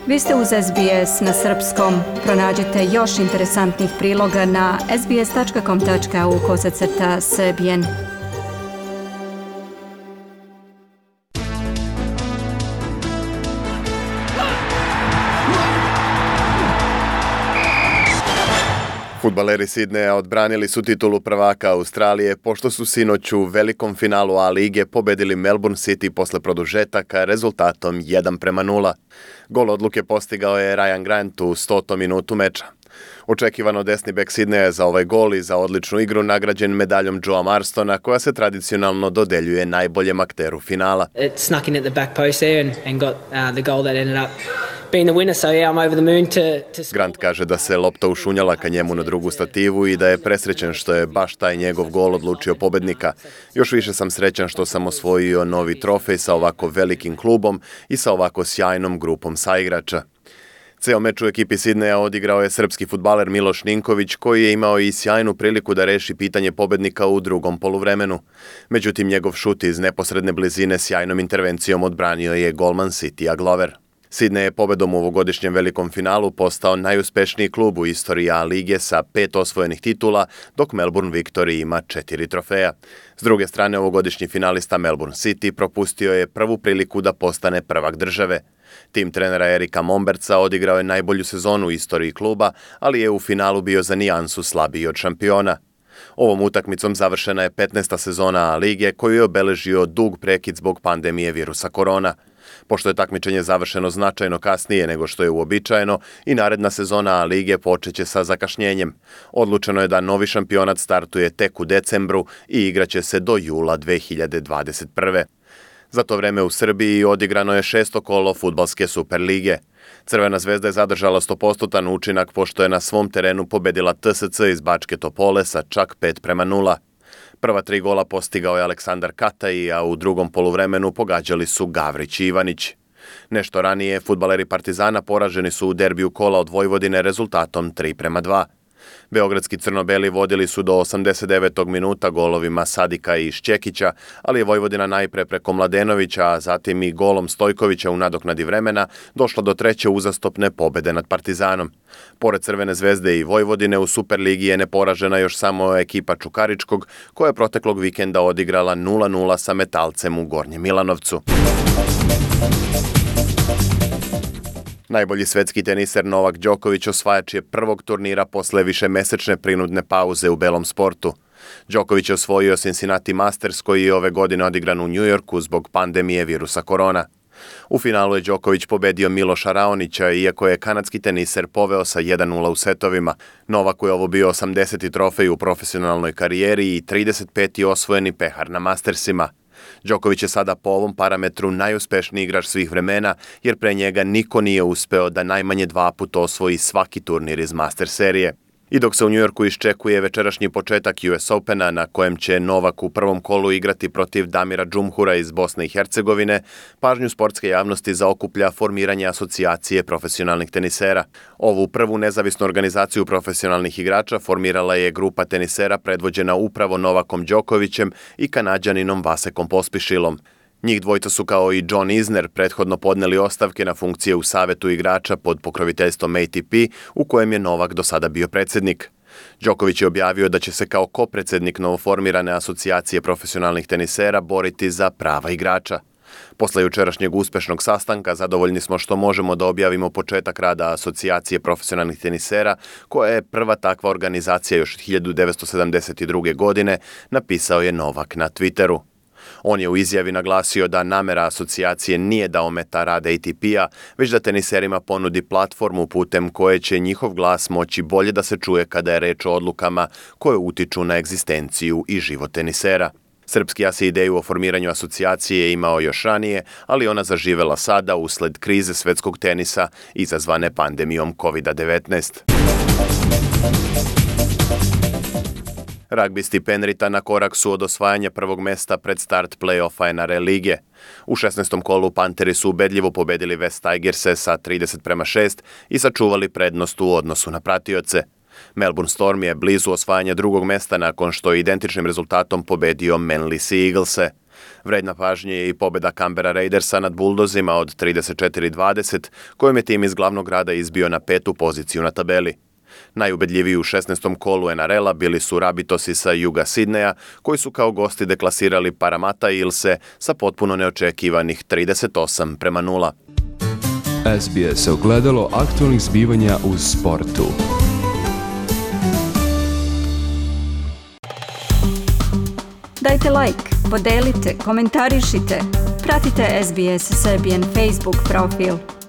Vi ste uz SBS na srpskom. Pronađite još interesantnih priloga na sbs.com.au/srbijen. Fudbaleri Sidneja odbranili su titulu prvaka Australije pošto su sinoć u velikom finalu A lige pobedili Melbourne City posle produžetaka rezultatom 1:0. Gol odluke postigao je Ryan Grant u 100. minutu meča. Očekivano desni bek Sidneja za ovaj gol i za odličnu igru nagrađen medaljom Joea Marstona, koja se tradicionalno dodeljuje najboljem akteru finala. It snuck in at the back post there and got the goal that ended up being the winner, so yeah, I'm over the moon to... Grant kaže da se lopta ušunjala ka njemu na drugu stativu i da je presrećen što je baš taj njegov gol odlučio pobednika. Još više sam srećan što sam osvojio novi trofej sa ovako velikim klubom i sa ovako sjajnom grupom saigrača. Ceo meč u ekipi Sidneja odigrao je srpski fudbaler Miloš Ninković, koji je imao i sjajnu priliku da reši pitanje pobednika u drugom poluvremenu. Međutim, njegov šut iz neposredne blizine sjajnom intervencijom odbranio je golman Citya Glover. Sidney je pobedom u ovogodišnjem velikom finalu postao najuspešniji klub u istoriji A lige sa 5 osvojenih titula, dok Melbourne Victory ima 4 trofeja. S druge strane, ovogodišnji finalista Melbourne City propustio je prvu priliku da postane prvak države. Tim trenera Erika Momberca odigrao je najbolju sezonu u istoriji kluba, ali je u finalu bio za nijansu slabiji od šampiona. Ovom utakmicom završena je 15. sezona A lige, koju je obeležio dug prekid zbog pandemije virusa korona. Pošto je takmičenje završeno značajno kasnije nego što je uobičajeno, i naredna sezona A lige počeće sa zakašnjenjem. Odlučeno je da novi šampionat startuje tek u decembru i igraće se do jula 2021. Za to vreme u Srbiji odigrano je 6. kolo fudbalske Superlige. Crvena zvezda je zadržala 100% učinak pošto je na svom terenu pobedila TSC iz Bačke Topole sa čak 5:0. Prva 3 gola postigao je Aleksandar Kataj, a u drugom poluvremenu pogađali su Gavrić i Ivanić. Nešto ranije, fudbaleri Partizana poraženi su u derbiju kola od Vojvodine rezultatom 3:2. Beogradski crno-beli vodili su do 89. minuta golovima Sadika i Šćekića, ali je Vojvodina najpre preko Mladenovića, a zatim i golom Stojkovića u nadoknadi vremena došla do treće uzastopne pobede nad Partizanom. Pored Crvene zvezde i Vojvodine, u Superligi je neporažena još samo ekipa Čukaričkog, koja je proteklog vikenda odigrala 0:0 sa Metalcem u Gornjem Milanovcu. Najbolji svetski teniser Novak Đoković osvajač je prvog turnira posle višemesečne prinudne pauze u belom sportu. Đoković je osvojio Cincinnati Masters, koji je ove godine odigran u Njujorku zbog pandemije virusa korona. U finalu je Đoković pobedio Miloša Raonića, iako je kanadski teniser poveo sa 1:0 u setovima. Novaku je ovo bio 80. trofej u profesionalnoj karijeri i 35. osvojeni pehar na Mastersima. Đoković je sada po ovom parametru najuspešniji igrač svih vremena, jer pre njega niko nije uspeo da najmanje 2 puta osvoji svaki turnir iz Master serije. I dok se u Njujorku iščekuje večerašnji početak US Opena, na kojem će Novak u prvom kolu igrati protiv Damira Džumhura iz Bosne i Hercegovine, pažnju sportske javnosti zaokuplja formiranje asocijacije profesionalnih tenisera. Ovu prvu nezavisnu organizaciju profesionalnih igrača formirala je grupa tenisera predvođena upravo Novakom Đokovićem i Kanađaninom Vasekom Pospišilom. Njih dvojica su kao i John Isner prethodno podneli ostavke na funkcije u savetu igrača pod pokroviteljstvom ATP, u kojem je Novak do sada bio predsjednik. Đoković je objavio da će se kao kopredsednik novoformirane asocijacije profesionalnih tenisera boriti za prava igrača. Posle jučerašnjeg uspešnog sastanka zadovoljni smo što možemo da objavimo početak rada asocijacije profesionalnih tenisera, koja je prva takva organizacija još od 1972. godine, napisao je Novak na Twitteru. On je u izjavi naglasio da namera asocijacije nije da ometa rad ATP-a, već da teniserima ponudi platformu putem koje će njihov glas moći bolje da se čuje kada je reč o odlukama koje utiču na egzistenciju i život tenisera. Srpski as je ideju o formiranju asocijacije imao još ranije, ali ona zaživela sada usled krize svetskog tenisa izazvane pandemijom COVID-19. Ragbisti Penrita na korak su od osvajanja prvog mesta pred start play-offa NRL lige. U 16. kolu Panteri su ubedljivo pobedili West Tigerse sa 30:6 i sačuvali prednost u odnosu na pratioce. Melbourne Storm je blizu osvajanja drugog mesta nakon što je identičnim rezultatom pobedio Manly Sea Eaglese. Vredna pažnje je i pobjeda Canberra Raidersa nad Bulldozima od 34-20, kojom je tim iz glavnog grada izbio na 5. poziciju na tabeli. Najubedljiviji u 16. kolu NRL-a bili su Rabitosi sa juga Sidneja, koji su kao gosti deklasirali Parramatta Eelse sa potpuno neočekivanih 38-0. SBS ogledalo aktualnih zbivanja u sportu. Dajte like, podelite, komentarišite. Pratite SBS Serbian Facebook profil.